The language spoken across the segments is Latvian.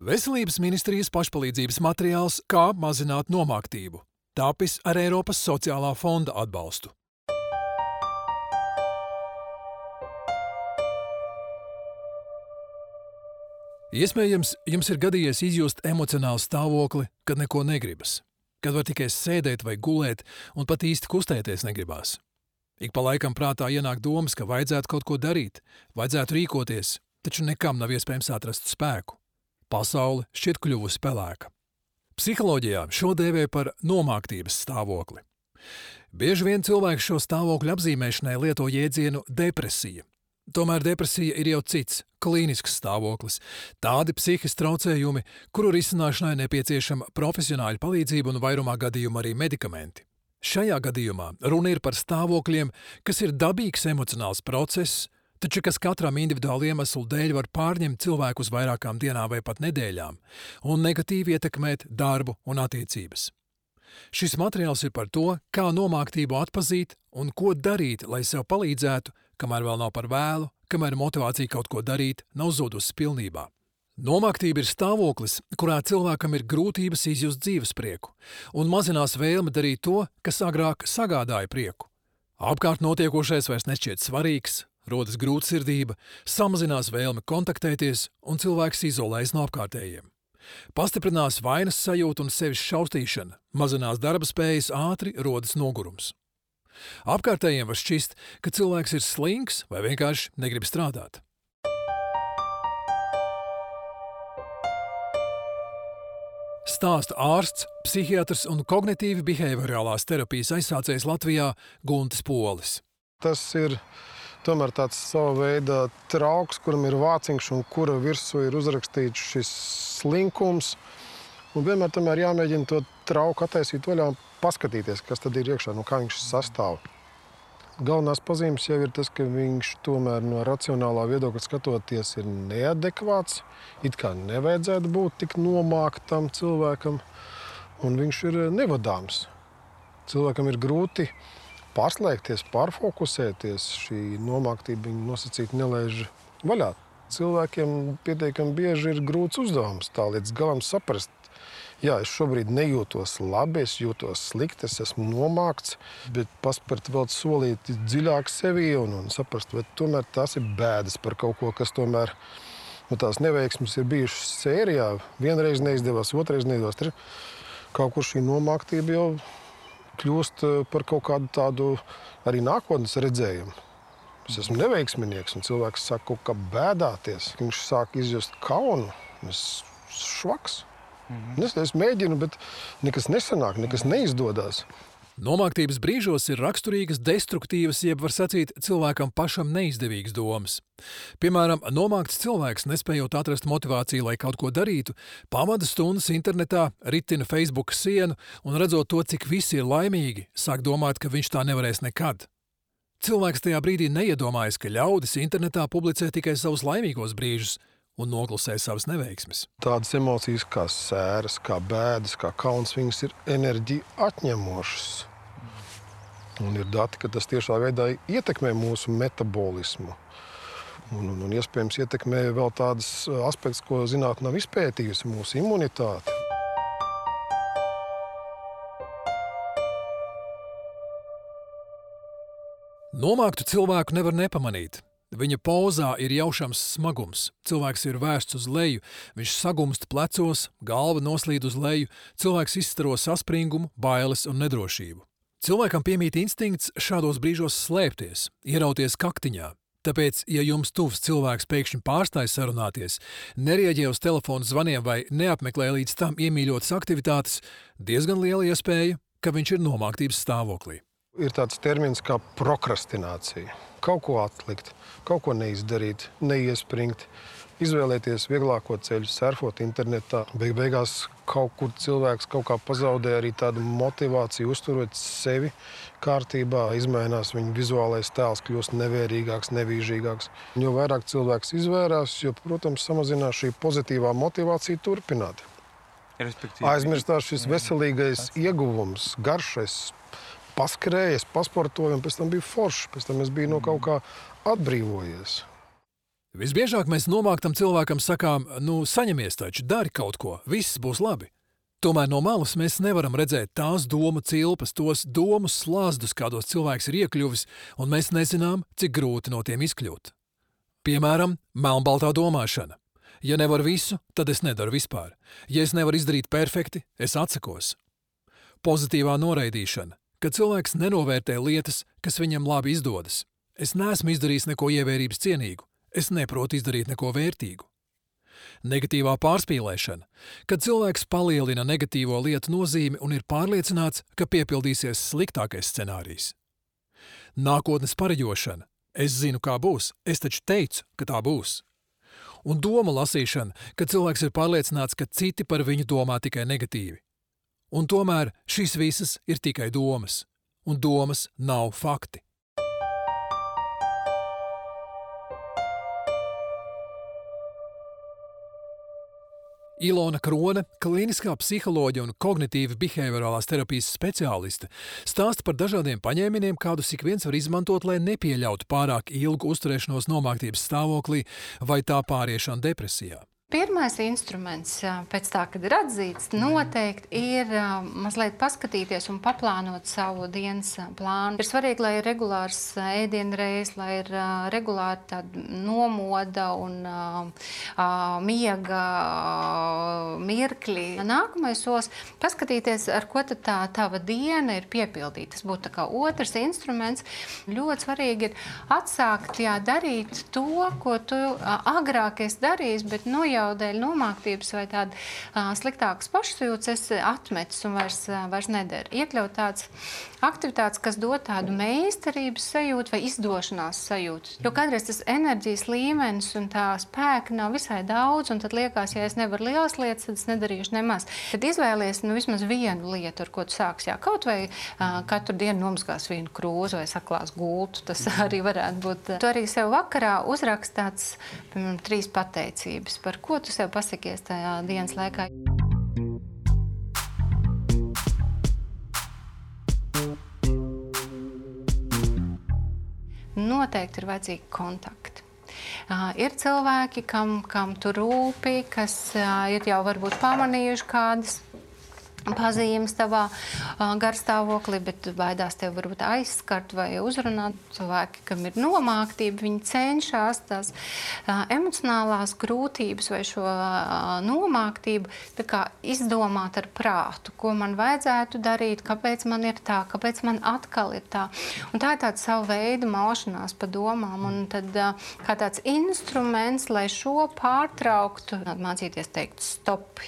Veselības ministrijas pašpalīdzības materiāls Kā mazināt nomāktību, tapis ar Eiropas sociālā fonda atbalstu. Iespējams, jums ir gadījies izjust emocionālu stāvokli, kad neko negribas, kad var tikai sēdēt vai gulēt un pat īsti kustēties negribās. Ik pa laikam prātā ienāk domas, ka vajadzētu kaut ko darīt, vajadzētu rīkoties, taču nekam nav iespējams atrast spēku. Pasaule šķiet kļuvusi pelēka. Psiholoģijā šo dēvē par nomāktības stāvokli. Bieži vien cilvēks šo stāvokļu apzīmēšanai lieto jēdzienu depresija. Tomēr depresija ir jau cits, klīnisks stāvoklis, tādi psihiski traucējumi, kuru risināšanai nepieciešama profesionāļa palīdzība un vairumā gadījumu arī medikamenti. Šajā gadījumā runa ir par stāvokļiem, kas ir dabīgs emocionāls process, taču kas katram individuāli iemeslu dēļ var pārņemt cilvēku uz vairākām dienām vai pat nedēļām un negatīvi ietekmēt darbu un attiecības. Šis materiāls ir par to, kā nomāktību atpazīt un ko darīt, lai sev palīdzētu, kamēr vēl nav par vēlu, kamēr motivācija kaut ko darīt nav zudusi pilnībā. Nomāktība ir stāvoklis, kurā cilvēkam ir grūtības izjust dzīvesprieku un mazinās vēlme darīt to, kas agrāk sagādāja prieku. Apkārt notiekošais vairs nešķiet svarīgs, rodas grūtsirdība, samazinās vēlme kontaktēties un cilvēks izolējas no apkārtējiem. Pastiprinās vainas sajūta un sevis šaustīšana, mazinās darba spējas, ātri rodas nogurums. Apkārtējiem var šķist, ka cilvēks ir slinks vai vienkārši negrib strādāt. Stāsta ārsts, psihiatrs un kognitīvi behaviorālās terapijas aizsācējs Latvijā Guntis Polis. Tas ir tomēr tāds sava veida trauks, kuram ir vāciņš un kura virsū ir uzrakstīts šis slinkums. Un vienmēr tomēr jāmēģina to trauku attaisīt vaļā un paskatīties, kas tad ir iekšā, no kā viņš sastāv. Galvenās pazīmes jau ir tas, ka viņš tomēr no racionālā viedokļa skatoties ir neadekvāts, it kā nevajadzētu būt tik nomāktam cilvēkam, un viņš ir nevadāms. Cilvēkam ir grūti pārslēgties, pārfokusēties, šī nomāktība viņu nosacīti nelaiž vaļā. Cilvēkiem pietiekami bieži ir grūts uzdevums tā līdz galam saprast. Jā, es šobrīd nejūtos labi, es jūtos slikti, es esmu nomākts, bet paspērt vēl solīti dziļāk sevī un saprast, vai tomēr tās ir bēdas par kaut ko, kas tomēr tās neveiksmes ir bijušas sērijā. Vienreiz neizdevās, otrais neizdevās. Kaut kur šī nomāktība jau kļūst par kaut kādu tādu arī nākotnes redzējumu. Es esmu neveiksminieks, un cilvēks sāk kaut kā bēdāties. Viņš sāk izjust kaunu, es švaks. Es mēģinu, bet nekas nesanāk, nekas neizdodas. Nomāktības brīžos ir raksturīgas destruktīvas, jeb var sacīt, cilvēkam pašam neizdevīgas domas. Piemēram, nomākts cilvēks, nespējot atrast motivāciju, lai kaut ko darītu, pavada stundas internetā, ritina Facebook sienu un redzot to, cik visi ir laimīgi, sāk domāt, ka viņš tā nevarēs nekad. Cilvēks tajā brīdī neiedomājas, ka ļaudis internetā publicē tikai savus laimīgos brīžus un noklusē savas neveiksmes. Tādas emocijas kā sēras, kā bēdas, kā kauns, viņas ir enerģiju atņemošas. Un ir dati, ka tas tiešā veidā ietekmē mūsu metabolismu. Un iespējams ietekmē vēl tādas aspekts, ko zinātne nav izpētījusi, mūsu imunitāti. Nomāktu cilvēku nevar nepamanīt. Viņa pozā ir jaušams smagums, cilvēks ir vērsts uz leju, viņš sagumst plecos, galva noslīd uz leju, cilvēks izstaro saspringumu, bailes un nedrošību. Cilvēkam piemīt instinkts šādos brīžos slēpties, ierauties kaktiņā. Tāpēc, ja jums tuvs cilvēks pēkšņi pārstāj sarunāties, nerieģē uz telefonu zvaniem vai neapmeklē līdz tam iemīļotas aktivitātes, diezgan liela iespēja, ka viņš ir nomāktības stāvoklī. Ir tāds termins kā prokrastinācija. Kaut ko atlikt, kaut ko neizdarīt, neiespringt, izvēlēties vieglāko ceļu, surfot internetā. Beigās kaut kur cilvēks kaut kā pazaudē arī tādu motivāciju, uzturot sevi kārtībā, izmainās viņa vizuālais tēls, kļūst nevērīgāks, nevīžīgāks. Jo vairāk cilvēks izvērās, jo, protams, samazinās šī pozitīvā motivācija turpināt. Aizmirstās šis veselīgais ieguvums, garšais, paskrējies, pasportoju, un pēc tam bija forši. Pēc tam es biju no kaut kā atbrīvojies. Visbiežāk mēs nomāktam cilvēkam sakām, saņemies taču, dari kaut ko, viss būs labi. Tomēr no malas mēs nevaram redzēt tās domu cilpas, tos domu slāzdus, kādos cilvēks ir iekļuvis, un mēs nezinām, cik grūti no tiem izkļūt. Piemēram, melnbaltā domāšana. Ja nevaru visu, tad es nedaru vispār. Ja es nevaru izdarīt perfekti, es atsakos. Pozitīvā noraidīšana, kad cilvēks nenovērtē lietas, kas viņam labi izdodas. Es neesmu izdarījis neko ievērības cienīgu, es neprotu izdarīt neko vērtīgu. Negatīvā pārspīlēšana, kad cilvēks palielina negatīvo lietu nozīmi un ir pārliecināts, ka piepildīsies sliktākais scenārijs. Nākotnes pareģošana. Es zinu, kā būs, es taču teicu, ka tā būs. Un doma lasīšana, kad cilvēks ir pārliecināts, ka citi par viņu domā tikai negatīvi. Un tomēr šīs visas ir tikai domas, un domas nav fakti. Ilona Krone, klīniskā psiholoģija un kognitīva behaviorālās terapijas speciāliste, stāsta par dažādiem paņēmieniem, kādus ik viens var izmantot, lai nepieļautu pārāk ilgu uzturēšanos nomāktības stāvoklī vai tā pāriešanu depresijā. Pirmais instruments, pēc tā, kad ir atzīts, noteikti ir mazliet paskatīties un paplānot savu dienas plānu. Ir svarīgi, lai ir regulārs ēdienreizes, lai ir regulāri tāda nomoda un miega mirkļi. Nākamais solis - paskatīties, ar ko tad tā tava diena ir piepildīta. Tas būtu tā kā otrs instruments. Ļoti svarīgi ir atsākt darīt to, ko tu agrāk esi darījis, bet jau dēļ nomāktības vai tāda sliktākas pašsajūtas esi atmetis un vairs nedara. Iekļaut tādas aktivitātes, kas dod tādu meistarības sajūtu vai izdošanās sajūtu. Jo kādreiz tas enerģijas līmenis un tā spēka nav visai daudz, un tad liekas, ja es nevaru lielas lietas, tad es nedarīšu nemaz. Tad izvēlies vismaz vienu lietu, ar ko tu sāksi. Kaut vai katru dienu nomazgās vienu krūzi vai saklās gultu, tas arī varētu būt. Tu arī sev vakarā uzrakst tāds, piemēram, 3 pateicības, par ko tu sev pasakies tajā dienas laikā. Noteikti ir vajadzīgi kontakti. Ir cilvēki, kam tu rūpi, kas ir jau varbūt pamanījuši kādas pazīmes tavā garstāvoklī, bet baidās tev varbūt aizskart vai uzrunāt. Cilvēki, kam ir nomāktība, viņi cenšas tās emocionālās grūtības vai šo nomāktību tā kā izdomāt ar prātu, ko man vajadzētu darīt, kāpēc man ir tā, kāpēc man atkal ir tā. Un tā ir tāda savu veidu maušanās pa domām, un tad kā tāds instruments, lai šo pārtrauktu, mācīties teikt stop,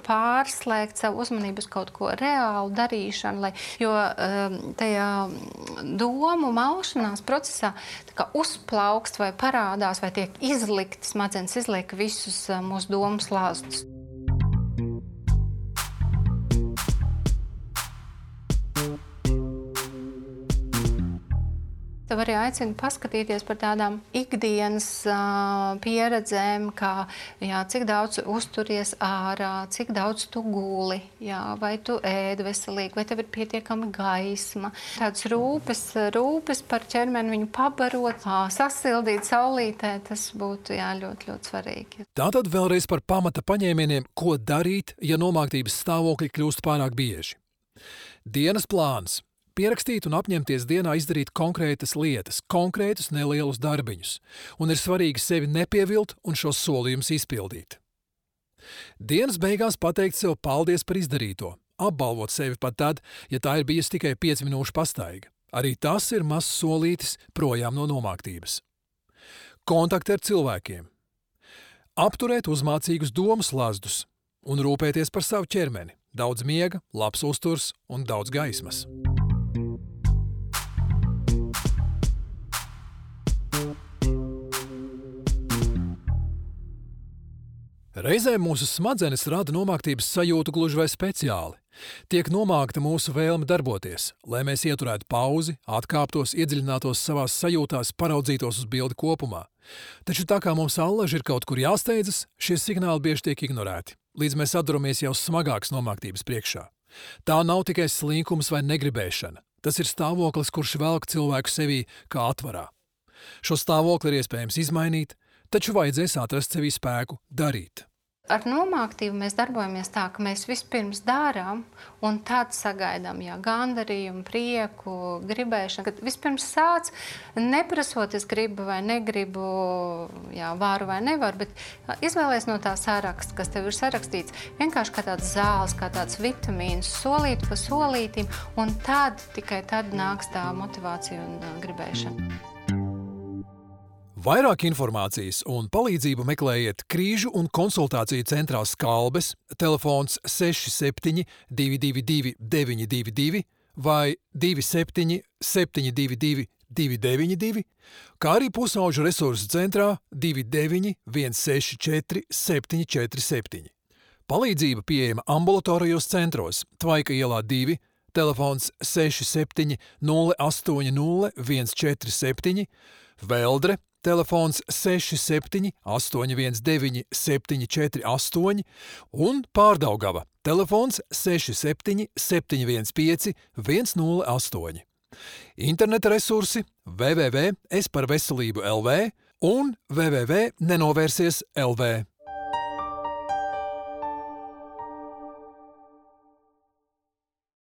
pārslēgt savu uzmanības kaut ko reālu darīšanu, jo tajā domu maušanās procesā tā kā uzplaukst vai parādās, vai tiek izlikti, smadzenes izliek visus mūsu domu slāstus. Tev arī aicinu paskatīties par tādām ikdienas pieredzēm, kā cik daudz uzturies ārā, cik daudz tu guli, vai tu ēd veselīgi, vai tev ir pietiekami gaisma. Tāds rūpes par ķermeni, viņu pabarot, sasildīt saulītē, tas būtu ļoti, ļoti svarīgi. Tātad vēlreiz par pamata paņēmieniem, ko darīt, ja nomāktības stāvokļi kļūst pārāk bieži. Dienas plāns. Pierakstīt un apņemties dienā izdarīt konkrētas lietas, konkrētus nelielus darbiņus, un ir svarīgi sevi nepievilt un šos solījumus izpildīt. Dienas beigās pateikt sev paldies par izdarīto, apbalvot sevi pat tad, ja tā ir bijusi tikai 5 minūšu pastaiga. Arī tas ir mazs solītis projām no nomāktības. Kontakti ar cilvēkiem. Apturēt uzmācīgus domu slazdus un rūpēties par savu ķermeni. Daudz miega, labs uzturs un daudz gaismas. Reizēm mūsu smadzenes rada nomāktības sajūtu gluži vai speciāli. Tiek nomākta mūsu vēlme darboties, lai mēs ieturētu pauzi, atkāptos, iedziļinātos savās sajūtās, paraudzītos uz bildi kopumā. Taču tā kā mums allaži ir kaut kur jāsteidzas, šie signāli bieži tiek ignorēti, līdz mēs atduramies jau smagākas nomāktības priekšā. Tā nav tikai slinkums vai negribēšana. Tas ir stāvoklis, kurš velk cilvēku sevī kā atvarā. Šo stāvokli ir iespējams izmainīt, taču vajadzēs atrast sevī spēku darīt. Ar nomāktību mēs darbojamies tā, ka mēs vispirms darām un tad sagaidām gandarījumu, prieku, gribēšanu. Kad vispirms sāc, neprasot, es gribu vai negribu, varu vai nevaru, bet izvēlies no tā saraksta, kas tev ir sarakstīts, vienkārši kā tāds zāles, kā tāds vitamīns, solīt pa solītim, un tikai tad nāks tā motivācija un gribēšana. Vairāk informācijas un palīdzību meklējiet Krīžu un konsultāciju centrā Skalbes, telefons 67 222 922 vai 27 722 292, kā arī pusauģu resursu centrā 29 164 747. Palīdzība pieejama ambulatorijos centros Tvaika ielā 2, telefons 67 080 147, Veldre, telefons 67 819 748 un Pārdaugava, telefons 67 715 108. Interneta resursi www.esparveselību.lv un www.nenovērsies.lv.